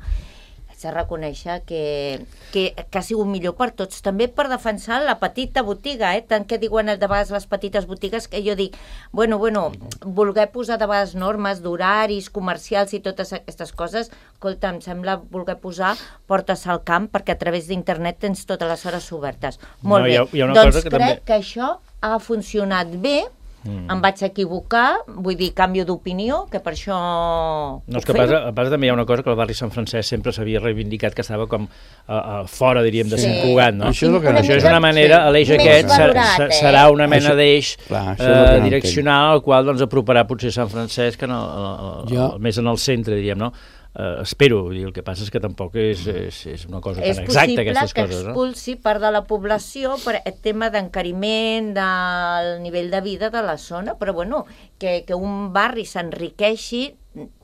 De reconèixer que, que, que ha sigut millor per tots, també per defensar la petita botiga, eh? Tant que diuen de vegades les petites botigues, que jo dic, bueno, bueno, voler posar de vegades normes d'horaris comercials i totes aquestes coses, escolta, em sembla voler posar portes al camp, perquè a través d'internet tens totes les hores obertes. Molt no, bé, hi ha, hi ha una doncs cosa que crec també... que això ha funcionat bé. Mm. Em vaig equivocar, vull dir, canvio d'opinió, que per això... No, és que a part, a part també hi ha una cosa que el barri Sant Francesc sempre s'havia reivindicat, que estava com a, a fora, diríem, de sí. Sant Cugat, no? Això és, que... això és una manera, sí. l'eix aquest valorat, eh? serà una mena això... d'eix eh, direccional, al qual doncs, aproparà potser Sant Francesc en el, el, el, jo... el, més en el centre, diríem, no? Uh, espero, dir, el que passa és que tampoc és, és, és una cosa és tan exacta, aquestes coses. És possible que expulsi no? part de la població per el tema d'encariment del nivell de vida de la zona, però bueno, que, que un barri s'enriqueixi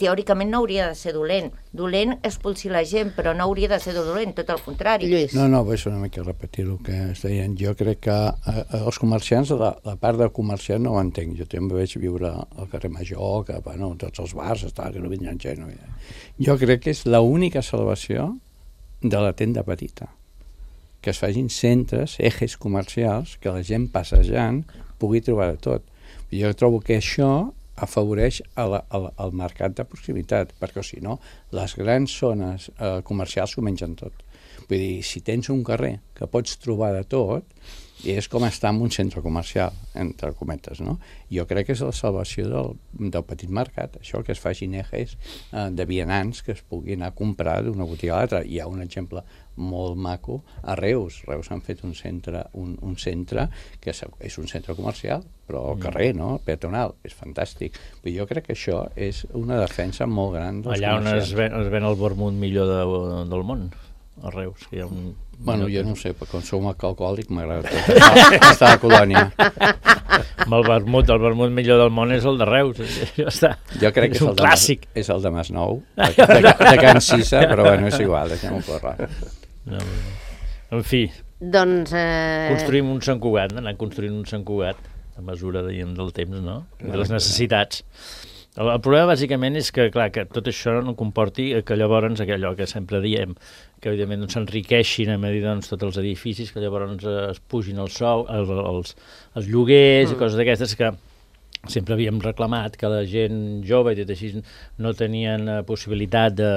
teòricament no hauria de ser dolent. Dolent expulsir la gent, però no hauria de ser dolent, tot el contrari. Lluís. No, no, és una mica repetir el que es deien. Jo crec que eh, els comerciants, la, la part del comerciant no ho entenc. Jo també vaig viure al carrer Major, que bueno, tots els bars, està, que no vindran gent. No. Jo crec que és l'única salvació de la tenda petita. Que es facin centres, ejes comercials, que la gent passejant pugui trobar de tot. Jo trobo que això afavoreix a la, a la, al mercat de proximitat, perquè si no, les grans zones eh, comercials s'ho mengen tot. Vull dir, si tens un carrer que pots trobar de tot, és com estar en un centre comercial, entre cometes, no? Jo crec que és la salvació del, del petit mercat, això que es facin ejes eh, de vianants que es puguin anar a comprar d'una botiga a l'altra. Hi ha un exemple molt maco a Reus. Reus han fet un centre, un, un centre que és, és un centre comercial, però al carrer, no? Peatonal, és fantàstic. Però jo crec que això és una defensa molt gran dels allà on es ven, es ven el vermut millor de, del món. a Reus, que hi ha un... Bueno, jo no ho sé, per com som alcohòlic m'agrada tot estar a la colònia. Amb el vermut, el vermut millor del món és el de Reus, ja està. Jo crec que és, un el de clàssic. Mas, és el de Masnou, de, de, de Can Cissa, però bueno, és igual, deixem-ho córrer. No, en fi, Doncs... Eh... construïm un Sant Cugat, anar construint un Sant Cugat a mesura de, del temps, no? De les necessitats. El, el problema, bàsicament, és que, clar, que tot això no comporti que llavors, allò que sempre diem, que, evidentment, doncs, s'enriqueixin a mesura, doncs, tots els edificis, que llavors es pugin els sou, els, els, els lloguers mm. i coses d'aquestes que sempre havíem reclamat que la gent jove i tot així no tenien uh, possibilitat de,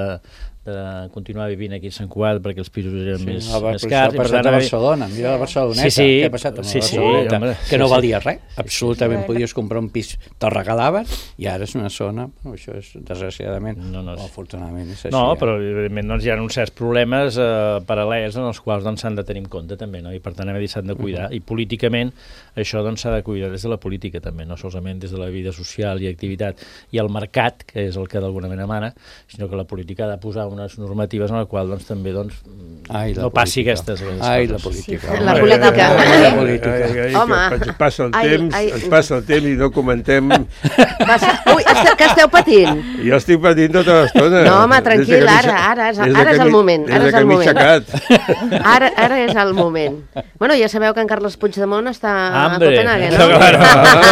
de continuar vivint aquí a Sant Cugat perquè els pisos eren sí, més, no, més cars. Això ha passat a Barcelona, mira la Barceloneta, sí, sí, què ha passat amb sí, la Barceloneta? Sí, home, que no sí, valia res, sí, absolutament sí, sí. podies comprar un pis, te'l regalaven, i ara és una zona, no, això és desgraciadament, no, no, o afortunadament és així. No, ja. però evidentment doncs, hi ha uns certs problemes eh, paral·lels en els quals s'han doncs, de tenir en compte també, no? I per tant s'han de cuidar, uh -huh. i políticament això s'ha doncs, de cuidar des de la política també, no solament des de la vida social i activitat i el mercat, que és el que d'alguna manera mana, sinó que la política ha de posar unes normatives en les quals doncs, també doncs, Ai, no passi aquestes, aquestes Ai, coses. la política. Sí, la política. Ai, la política. Ai, ai, Home. que ens passa el Ai, temps, ai. ens passa el temps i no comentem. Passa... Ui, este, que esteu patint? Jo estic patint tota l'estona. No, home, tranquil, ara, ara, és, ara és el moment. Ara és el moment. Ara, ara és el moment. Bueno, ja sabeu que en Carles Puigdemont està Hambre. a Copenhagen, No, no?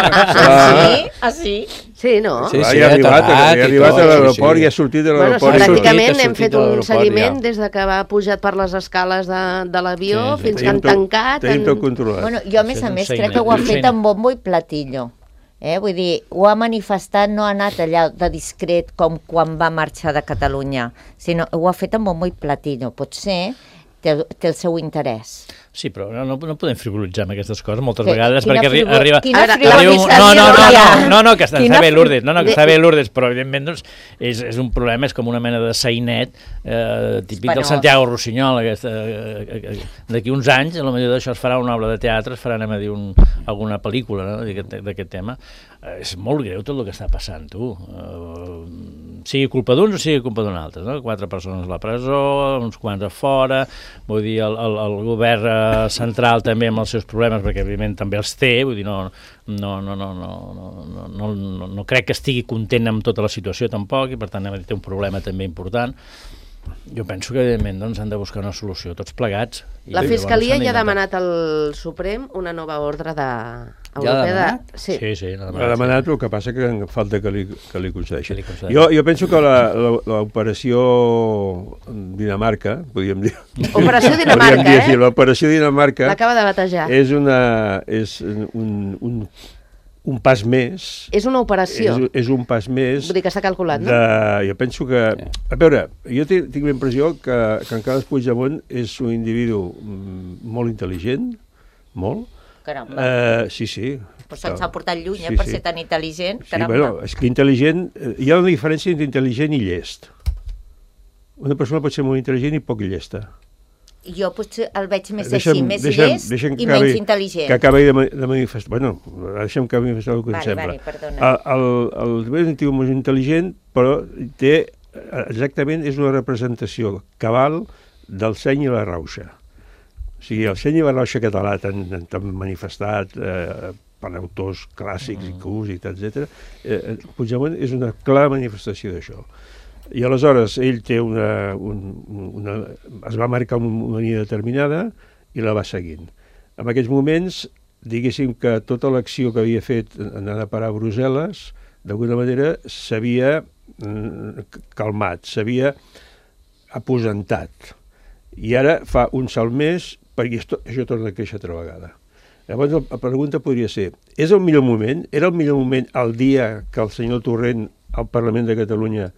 Ah, sí? Ah, sí? Sí, no? Sí, Sí, sí, ja ha arribat, aterrat ha i arribat tot, a sí, l'aeroport sí. i ha sortit de Bueno, l'aeroport. sí, ha sortit, pràcticament ha hem sortit fet de un l'aeroport, seguiment ja. des de que va pujat per les escales de, de l'avió Sí, sí. fins que han tancat. Tenim en- tot controlat. Bueno, jo, a més Això és a un més, seient, crec que ho ha un fet seient. amb bombo i platillo. Eh? Vull dir, ho ha manifestat, no ha anat allà de discret com quan va marxar de Catalunya, sinó ho ha fet amb bombo i platillo. Potser té, té el seu interès. Sí, però no, no, no podem frivolitzar amb aquestes coses moltes Que- vegades quina perquè arri frivol- arriba... quina A veure, arriba un... frivolització No, no, no, hi ha? no, no, no, que està, Quina està bé fri- Lourdes, no, no, que de- està bé Lourdes, però evidentment doncs, és, és un problema, és com una mena de sainet eh, típic del Espanyol. Santiago Rossinyol. Aquesta, eh, eh, eh, d'aquí uns anys, a lo millor d'això es farà una obra de teatre, es farà, anem a dir, un, alguna pel·lícula no, d'aquest d'aquest tema. Eh, és molt greu tot el que està passant, tu. Eh, sigui culpa d'uns o sigui culpa d'un altre, no? Quatre persones a la presó, uns quants a fora, vull dir, el, el, el govern eh, central també amb els seus problemes, perquè evidentment també els té, vull dir, no, no, no, no, no, no, no, no, no crec que estigui content amb tota la situació tampoc, i per tant té un problema també important. Jo penso que evidentment doncs, han de buscar una solució tots plegats. I La llavors Fiscalia s'han ja ha d'intentar. demanat al Suprem una nova ordre de... ha europea de... demanat? Sí. Sí, sí, l'ha Ha demanat, el que passa que falta que li, que li concedeixi. Que li concedeixi. Jo, jo penso que la- la- l'operació Dinamarca, podríem dir... Operació podríem Dinamarca, dir així, eh? l'operació Dinamarca L'acaba de batejar. és, una, és un, un, un pas més... És una operació. És, és un pas més Vull dir que s'ha calculat, no? de, jo penso que... A veure, jo tinc, tinc la impressió que, que en Carles Puigdemont és un individu mm, molt intel·ligent, molt. Caramba. Uh, sí, sí. Però se'ns ha portat lluny, eh, Sí, per sí. ser tan intel·ligent. Sí, Caramba. bueno, és que intel·ligent... eh, Hi ha una diferència entre intel·ligent i llest. Una persona pot ser molt intel·ligent i poc llesta. Jo potser el veig més Deixa'm- així, més deixa'm- llest deixa'm i que acabi- menys intel·ligent. Que acabi de, ma- de manifestar... Bueno, deixa'm que manifestar el que Vale, em sembla. vale, perdona. El, el, el Tibet és molt intel·ligent, però té... Exactament és una representació cabal del seny i la rauxa. O sigui, el seny i la rauxa català tan, tan manifestat eh, per autors clàssics mm. i cults, etcètera. Eh, Puigdemont és una clara manifestació d'això. I aleshores ell té una, un, una, es va marcar una línia determinada i la va seguint. En aquells moments, diguéssim que tota l'acció que havia fet anant a parar a Brussel·les, d'alguna manera s'havia mm, calmat, s'havia aposentat. I ara fa un salt més perquè això, això torna a créixer altra vegada. Llavors la pregunta podria ser, és el millor moment? Era el millor moment el dia que el senyor Torrent al Parlament de Catalunya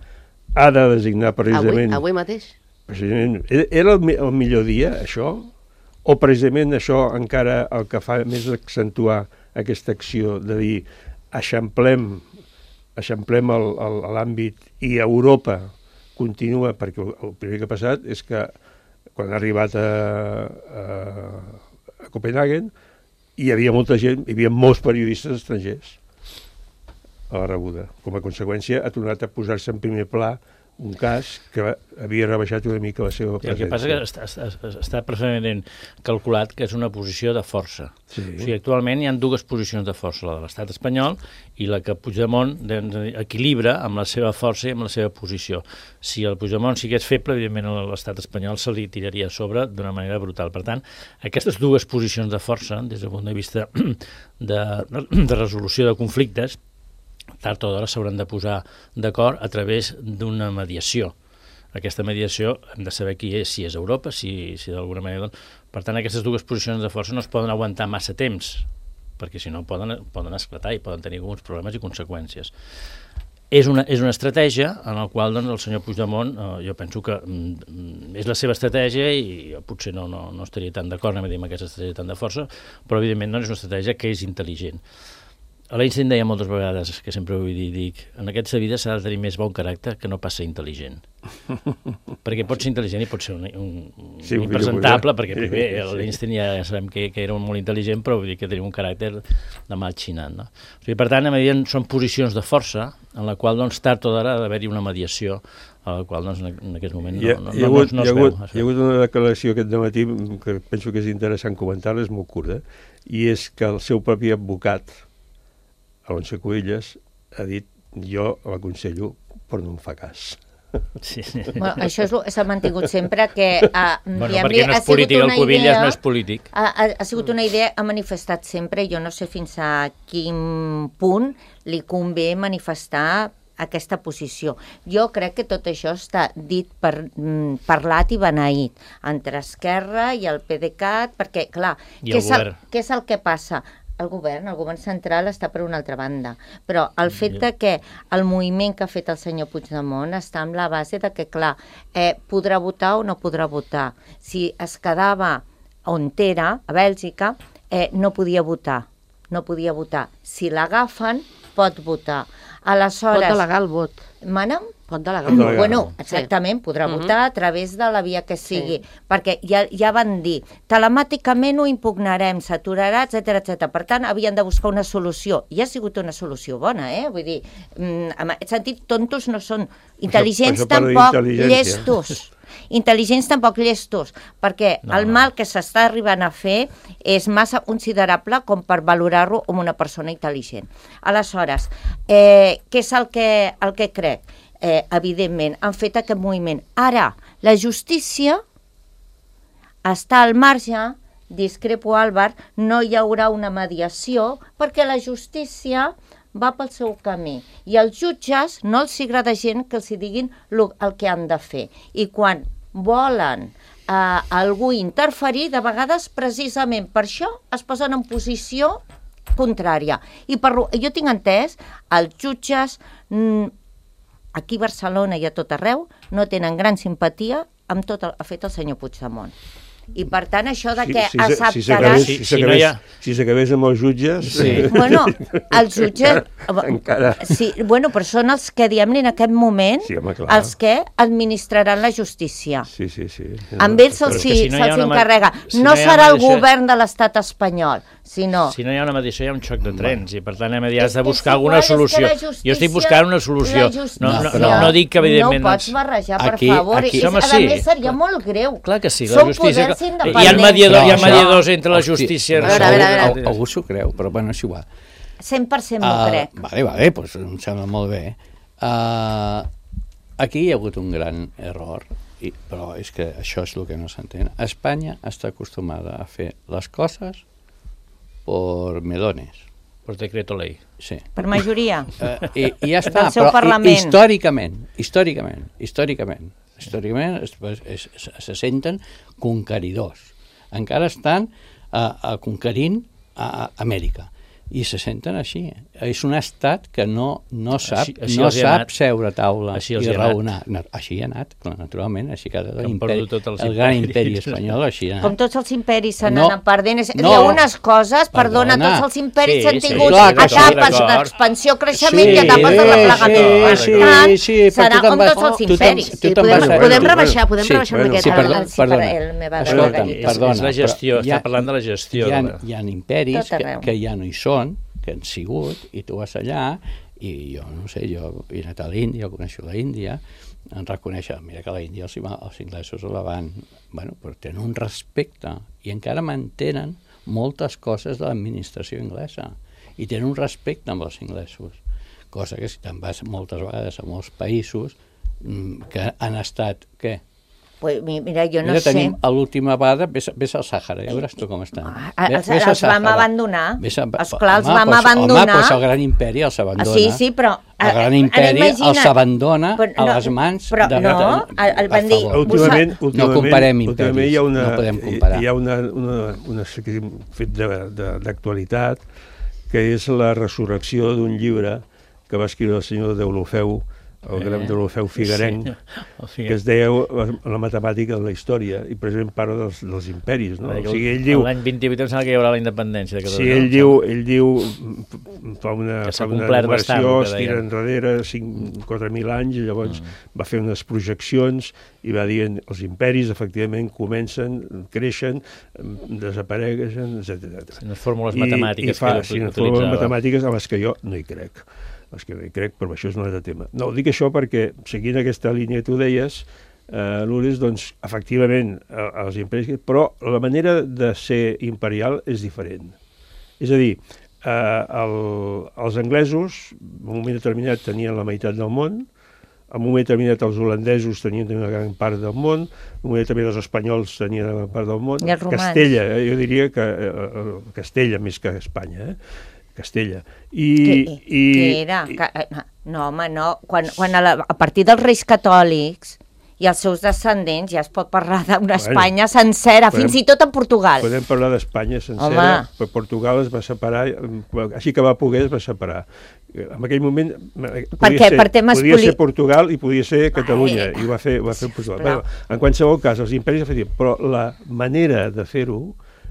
ha de designar Avui, precisament... avui mateix. precisament era el, el millor dia, això? O precisament això encara el que fa més accentuar aquesta acció de dir eixamplem, eixamplem l'àmbit i Europa continua, perquè el primer que ha passat és que quan ha arribat a, a, a Copenhagen hi havia molta gent, hi havia molts periodistes estrangers a la rebuda. Com a conseqüència ha tornat a posar-se en primer pla un cas que havia rebaixat una mica la seva presència. El que passa és que està, està, està perfectament calculat que és una posició de força. Sí. O sigui, actualment hi ha dues posicions de força, la de l'estat espanyol i la que Puigdemont equilibra amb la seva força i amb la seva posició. Si el Puigdemont sigués feble, evidentment l'estat espanyol se li tiraria a sobre d'una manera brutal. Per tant, aquestes dues posicions de força, des del punt de vista de, de resolució de conflictes, tard o d'hora s'hauran de posar d'acord a través d'una mediació. Aquesta mediació hem de saber qui és, si és Europa, si, si d'alguna manera... Doncs... Per tant, aquestes dues posicions de força no es poden aguantar massa temps, perquè si no poden, poden esclatar i poden tenir alguns problemes i conseqüències. És una, és una estratègia en la qual doncs, el senyor Puigdemont, eh, jo penso que mm, és la seva estratègia i jo potser no, no, no estaria tan d'acord amb aquesta estratègia tan de força, però evidentment doncs, és una estratègia que és intel·ligent. L'Einstein deia moltes vegades, que sempre ho vull dir, dic, en aquesta vida s'ha de tenir més bon caràcter que no pas ser intel·ligent. Perquè pot ser intel·ligent i pot ser un, un, sí, un impresentable, perquè primer l'Einstein ja sabem que, que era un molt intel·ligent, però vull dir que tenia un caràcter de mal xinat. No? O sigui, per tant, a medida són posicions de força en la qual doncs, tard o d'ara ha d'haver-hi una mediació a la qual doncs, en aquest moment no, no, no, no, no es veu. Hi ha hagut una declaració aquest dematí que penso que és interessant comentar-la, és molt curta, i és que el seu propi advocat, Alonso Cuevillas, ha dit jo l'aconsello però no em fa cas. Sí. Bueno, això s'ha mantingut sempre que... Uh, bueno, perquè no és polític, el Cuevillas no és polític. Ha, ha, ha sigut una idea, ha manifestat sempre, jo no sé fins a quin punt li convé manifestar aquesta posició. Jo crec que tot això està dit, per, mm, parlat i beneït entre Esquerra i el PDeCAT, perquè, clar, què és, el, què és el que passa? El govern, el govern central està per una altra banda, però el fet de que el moviment que ha fet el senyor Puigdemont està amb la base de que, clar, eh, podrà votar o no podrà votar. Si es quedava on era, a Bèlgica, eh, no podia votar, no podia votar. Si l'agafen, pot votar. Aleshores... Pot delegar el vot. Mana'm? Pot delegar el vot. Bueno, exactament, podrà uh-huh. votar a través de la via que sigui, sí. perquè ja, ja van dir, telemàticament ho impugnarem, s'aturarà, etcètera, etcètera. Per tant, havien de buscar una solució. I ha sigut una solució bona, eh? Vull dir, en aquest sentit, tontos no són, intel·ligents això, això tampoc, llestos. Intel·ligents tampoc llestos, perquè no, el mal que s'està arribant a fer és massa considerable com per valorar-lo com una persona intel·ligent. Aleshores, eh, què és el que, el que crec? Eh, evidentment, han fet aquest moviment. Ara, la justícia està al marge, discrepo Álvar, no hi haurà una mediació, perquè la justícia va pel seu camí. I als jutges no els agrada gent que els diguin el que han de fer. I quan volen eh, algú interferir, de vegades precisament per això es posen en posició contrària. I per, jo tinc entès, els jutges aquí a Barcelona i a tot arreu no tenen gran simpatia amb tot el que ha fet el senyor Puigdemont. I per tant això de que si, si, acceptaran... Si s'acabés si si si amb els jutges... Sí. Bueno, els jutges... Encara... Sí, bueno, però són els que, diguem-ne, en aquest moment, sí, home, els que administraran la justícia. Sí, sí, sí. Amb ells se'ls si no encarrega. Si no, no serà el govern de l'estat espanyol, sinó... Si no hi ha una mediació hi ha un xoc de trens, i per tant hem has de buscar alguna solució. Jo estic buscant una solució. No, no, no, no dic que, evidentment... No pots barrejar, per favor. A més, seria molt greu. Clar que sí, la justícia... Hi ha mediadors, hi ha mediadors entre la justícia... A veure, a veure, a veure. Algú s'ho creu, però bueno, és igual. cent per cent m'ho crec. Vale, vale, doncs em sembla molt bé. Uh, aquí hi ha hagut un gran error, i, però és que això és el que no s'entén. Espanya està acostumada a fer les coses per melones. Per decreto ley. Sí. Per majoria. Uh, i, I ja està, però parlament. històricament, històricament, històricament, històricament es, es, es, se senten conqueridors. Encara estan uh, uh, conquerint a, a Amèrica i se senten així. És un estat que no, no sap, així, així no sap seure a taula i raonar. No, així ha anat, naturalment, així que l'imperi, el gran imperi espanyol així ha anat. Com tots els imperis s'han no, anat perdent. No, hi ha unes coses, perdona, perdona tots els imperis s'han sí, tingut sí, etapes d'expansió, creixement sí, i etapes de replegament. Sí, sí, sí, serà com tots els imperis. Podem rebaixar, podem rebaixar una miqueta. Perdona, és la gestió, està parlant de la gestió. Hi ha imperis que ja no hi són, que han sigut, i tu vas allà I jo, no sé, jo he anat a l'Índia, coneixo l'Índia, en reconèixer, mira que a l'Índia els, els inglesos la van, bueno, però tenen un respecte i encara mantenen moltes coses de l'administració inglesa i tenen un respecte amb els inglesos, cosa que si te'n vas moltes vegades a molts països que han estat, què? Pues mira, jo no mira, sé... tenim a l'última vegada, ves, ves al Sàhara, ja veuràs tu com estan. Ah, els els vam abandonar, a, esclar, els home, vam pues, abandonar. Home, doncs el gran imperi els abandona. Ah, sí, sí, però... El gran imperi imagina... els abandona però, no, a les mans però, de... No, de, el van dir... Últimament, últimament, no comparem imperis, hi ha una, no podem comparar. Hi ha una, una, una, una fet d'actualitat que és la resurrecció d'un llibre que va escriure el senyor Deulofeu, el gran eh, Deulofeu Figuerenc, sí, que es deia la matemàtica de la història, i precisament parla dels, dels imperis. No? O sigui, ell diu... L'any vint-i-vuit em sembla que hi haurà la independència de Catalunya. Sí, ell diu, ell diu fa una, fa una numeració, es tira enrere quatre mil anys, i llavors mm. va fer unes projeccions i va dir els imperis, efectivament, comencen, creixen, desapareixen, etcètera. Sí, unes fórmules matemàtiques. I, i fa, sí, unes fórmules matemàtiques a les que jo no hi crec. Els que no hi crec, però això és un altre tema. No, dic això perquè, seguint aquesta línia que tu deies, eh, Lourdes, doncs, efectivament, eh, els imperis, però la manera de ser imperial és diferent. És a dir, eh, el, els anglesos, en un moment determinat, tenien la meitat del món, en un moment determinat els holandesos tenien una gran part del món, en un moment determinat els espanyols tenien una gran part del món. I els romans. Castella, eh, jo diria que eh, Castella més que Espanya, eh? Castella. I, què, i, què era? I, no, home, no. Quan, quan a, la, a partir dels reis catòlics i els seus descendents ja es pot parlar d'una Espanya bueno, sencera, podem, fins i tot en Portugal. Podem parlar d'Espanya sencera, home. Però Portugal es va separar, així que va poder es va separar. En aquell moment podia, ser, per temes podia poli... ser Portugal i podia ser Catalunya, Ai, i ho va fer, ho va fer Portugal. Bueno, en qualsevol cas, els imperis efectivament, però la manera de fer-ho,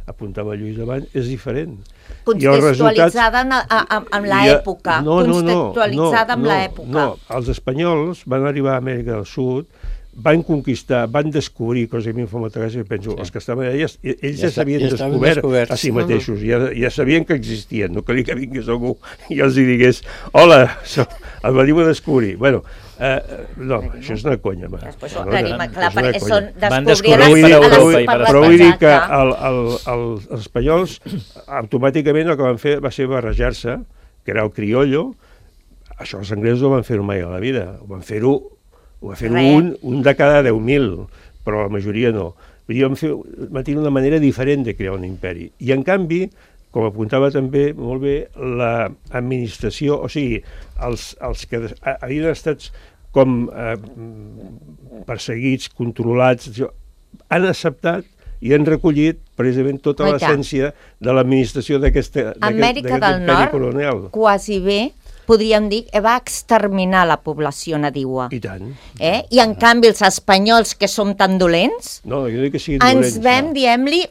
apuntava Lluís abans, és diferent. Contextualitzada resultats, amb l'època. No, no, no, contextualitzada no, amb no, l'època. No, els espanyols van arribar a Amèrica del Sud, van conquistar, van descobrir, cosa que a mi em fa molta gràcia, penso, sí. els que estaven allà, ells ja, ja s'havien ja descobert a si mateixos, ja, ja sabien que existien, no calia que vingués algú i els hi digués, hola, soc, el veniu a descobrir. Bueno, eh, no, això és una conya. Va. Després no, ho aclarim, no, clar, perquè són van descobrir per Europa i per Però vull dir que el, el, el, els espanyols automàticament el que van fer va ser barrejar-se, que era el criollo. Això els anglesos no van fer-ho mai a la vida, ho van fer-ho ho va fer un, un de cada deu mil, però la majoria no. Vull dir, van, fer, van tenir una manera diferent de crear un imperi. I en canvi, com apuntava també molt bé, l'administració, o sigui, els, els que havien estat com eh, perseguits, controlats, han acceptat i han recollit precisament tota l'essència de l'administració d'aquest imperi colonial. Quasi bé, podríem dir que va exterminar la població nadiua. I tant. Eh? I en canvi els espanyols, que som tan dolents, no, jo dic que siguin dolents, ens vam, no. diguem-li,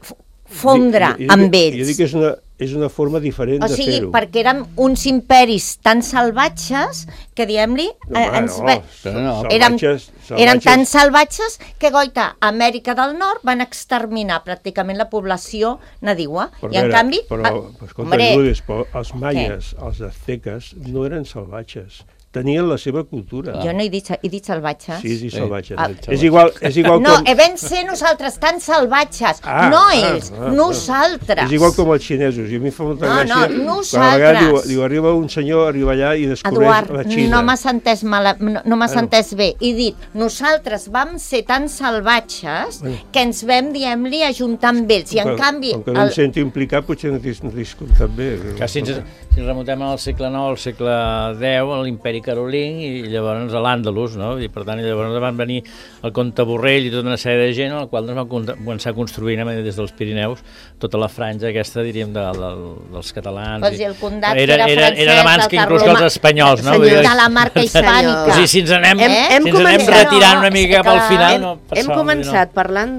fondre jo, jo, jo amb que, ells. Jo dic que és una, és una forma diferent o de sigui, fer-ho. Perquè érem uns imperis tan salvatges que, diguem-li, no, eh, ens no, ve... no, érem, salvatges, salvatges. Eren tan salvatges que, goita, a Amèrica del Nord van exterminar pràcticament la població nadiua. Però, I en vera, canvi... Però, escolta, hombre, Lourdes, però els maies, què? Els azteques, no eren salvatges. Tenien la seva cultura. Jo no he dit, he dit salvatges. Sí, sí, salvatges. Ah. És igual, és igual no, com... No, vam ser nosaltres tan salvatges. Ah, no ah, ells, ah, nosaltres. És igual com els xinesos. I a mi fa molta no, gràcia... No, nosaltres. Diu, diu, arriba un senyor, arriba allà i descobreix Eduard, la Xina. no m'has entès, mal, no, no m'has bueno. entès bé. He dit, nosaltres vam ser tan salvatges bueno. que ens vam, diguem-li, ajuntar amb ells. I en com, canvi... Com que no el... em sento implicat, potser no t'he escoltat bé. Que si ens, si ens remuntem al segle nou, al segle deu, a l'imperi carolí, i llavors a l'Àndalus, no? I per tant, llavors van venir el comte Borrell i tota una sèrie de gent, al qual doncs, van començar construint des dels Pirineus tota la franja aquesta, diríem, de, de, dels catalans. Pues i el Condat, era, era, era francès, era abans que inclús els espanyols, no? Senyor, de la marca hispànica. O sigui, si ens anem, hem, hem si ens anem retirant una mica cap al final, hem, no passa, hem començat no, parlant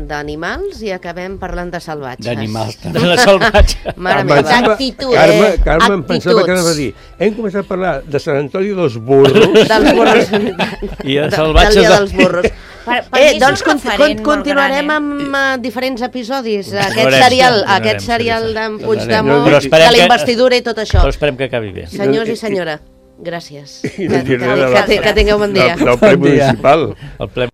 d'animals i acabem parlant de salvatges. D'animals, també. De la salvatge. Mare meva. D'actitud. Carme, Carme em pensava que anava a dir, hem començat a parlar de Sant Antoni dels burros. Dels burros. I de salvatges. Del dia dels burros. Per, per Eh, mi doncs és un con referent con continuarem molt gran, eh? amb uh, diferents episodis. Aquest Veurem, serial, veurem, aquest sí, serial sí. d'en Veurem. Puigdemont, Però esperem de la que- investidura i tot això. Però esperem que acabi bé. Senyors i senyora, gràcies. I Que, no dir que, res de que, la- que, que tingueu bon dia. Del, del ple Bon dia. municipal. El ple